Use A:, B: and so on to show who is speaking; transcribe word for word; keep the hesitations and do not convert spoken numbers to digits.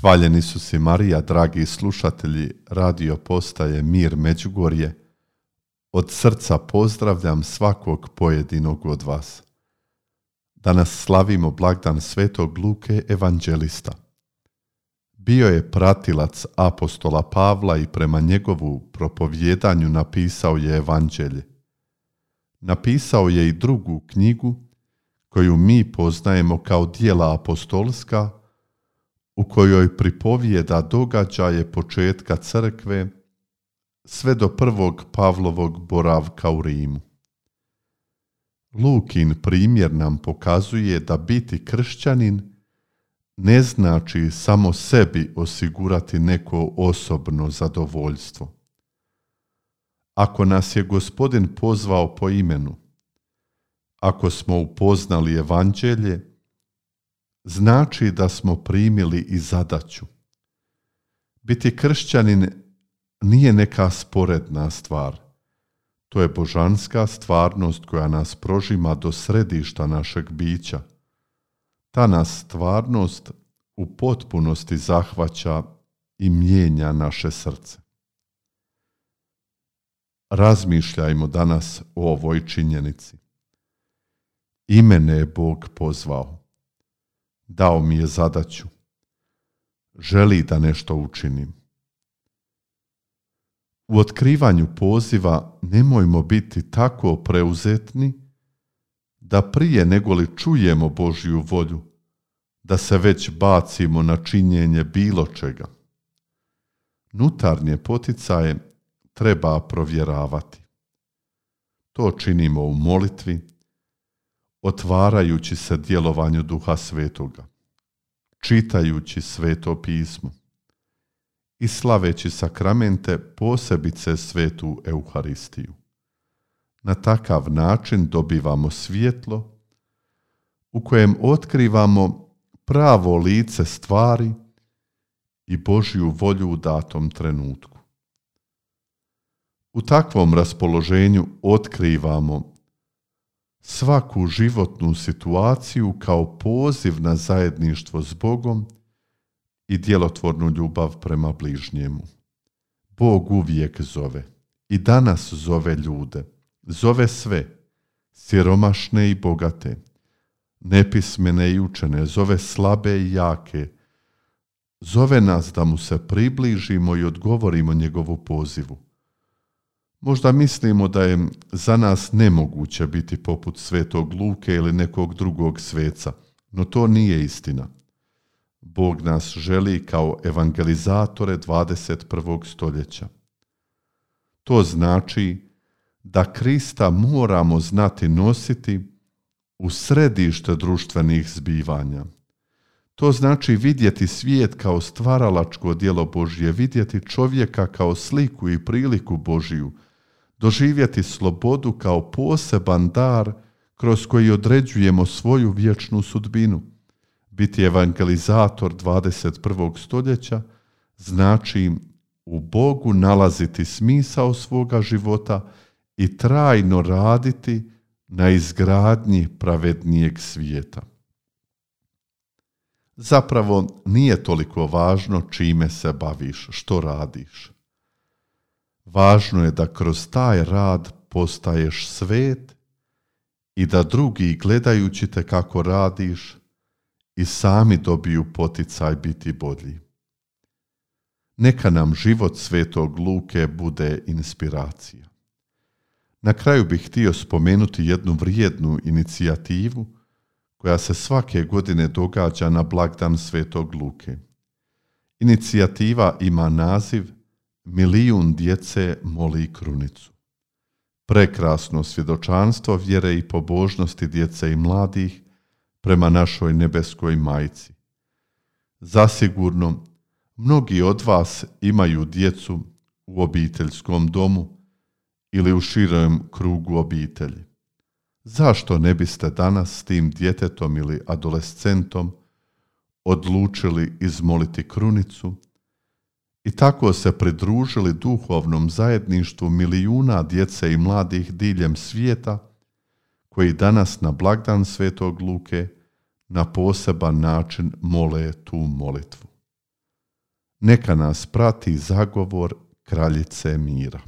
A: Hvaljen Isus i Marija, dragi slušatelji radio postaje Mir Međugorje. Od srca pozdravljam svakog pojedinog od vas. Danas slavimo blagdan Svetog Luke evanđelista. Bio je pratilac apostola Pavla i prema njegovu propovjedanju napisao je evanđelje. Napisao je i drugu knjigu koju mi poznajemo kao djela apostolska, u kojoj pripovijeda događaje početka crkve sve do prvog Pavlovog boravka u Rimu. Lukin primjer nam pokazuje da biti kršćanin ne znači samo sebi osigurati neko osobno zadovoljstvo. Ako nas je Gospodin pozvao po imenu, ako smo upoznali evanđelje, znači da smo primili i zadaću. Biti kršćanin nije neka sporedna stvar. To je božanska stvarnost koja nas prožima do središta našeg bića. Ta nas stvarnost u potpunosti zahvaća i mijenja naše srce. Razmišljajmo danas o ovoj činjenici. I mene je Bog pozvao. Dao mi je zadaću. Želi da nešto učinim. U otkrivanju poziva nemojmo biti tako preuzetni da prije nego li čujemo Božju volju, da se već bacimo na činjenje bilo čega. Nutarnje poticaje treba provjeravati. To činimo u molitvi, otvarajući se djelovanju Duha Svetoga, čitajući Sveto pismo i slaveći sakramente, posebice Svetu Euharistiju. Na takav način dobivamo svjetlo u kojem otkrivamo pravo lice stvari i Božju volju u datom trenutku. U takvom raspoloženju otkrivamo svaku životnu situaciju kao poziv na zajedništvo s Bogom i djelotvornu ljubav prema bližnjemu. Bog uvijek zove i danas zove ljude, zove sve, siromašne i bogate, nepismene i učene, zove slabe i jake, zove nas da mu se približimo i odgovorimo njegovu pozivu. Možda mislimo da je za nas nemoguće biti poput Svetog Luke ili nekog drugog sveca, no to nije istina. Bog nas želi kao evangelizatore dvadeset prvog stoljeća. To znači da Krista moramo znati nositi u središte društvenih zbivanja. To znači vidjeti svijet kao stvaralačko djelo Božje, vidjeti čovjeka kao sliku i priliku Božiju, doživjeti slobodu kao poseban dar kroz koji određujemo svoju vječnu sudbinu. Biti evangelizator dvadeset prvog stoljeća znači u Bogu nalaziti smisao svoga života i trajno raditi na izgradnji pravednijeg svijeta. Zapravo nije toliko važno čime se baviš, što radiš. Važno je da kroz taj rad postaješ svet i da drugi, gledajući te kako radiš, i sami dobiju poticaj biti bolji. Neka nam život Svetog Luke bude inspiracija. Na kraju bih htio spomenuti jednu vrijednu inicijativu koja se svake godine događa na blagdan Svetog Luke. Inicijativa ima naziv Milijun djece moli krunicu. Prekrasno svjedočanstvo vjere i pobožnosti djece i mladih prema našoj nebeskoj majci. Zasigurno, mnogi od vas imaju djecu u obiteljskom domu ili u širem krugu obitelji. Zašto ne biste danas s tim djetetom ili adolescentom odlučili izmoliti krunicu i tako se pridružili duhovnom zajedništvu milijuna djece i mladih diljem svijeta koji danas na blagdan Svetog Luke na poseban način mole tu molitvu. Neka nas prati zagovor Kraljice mira.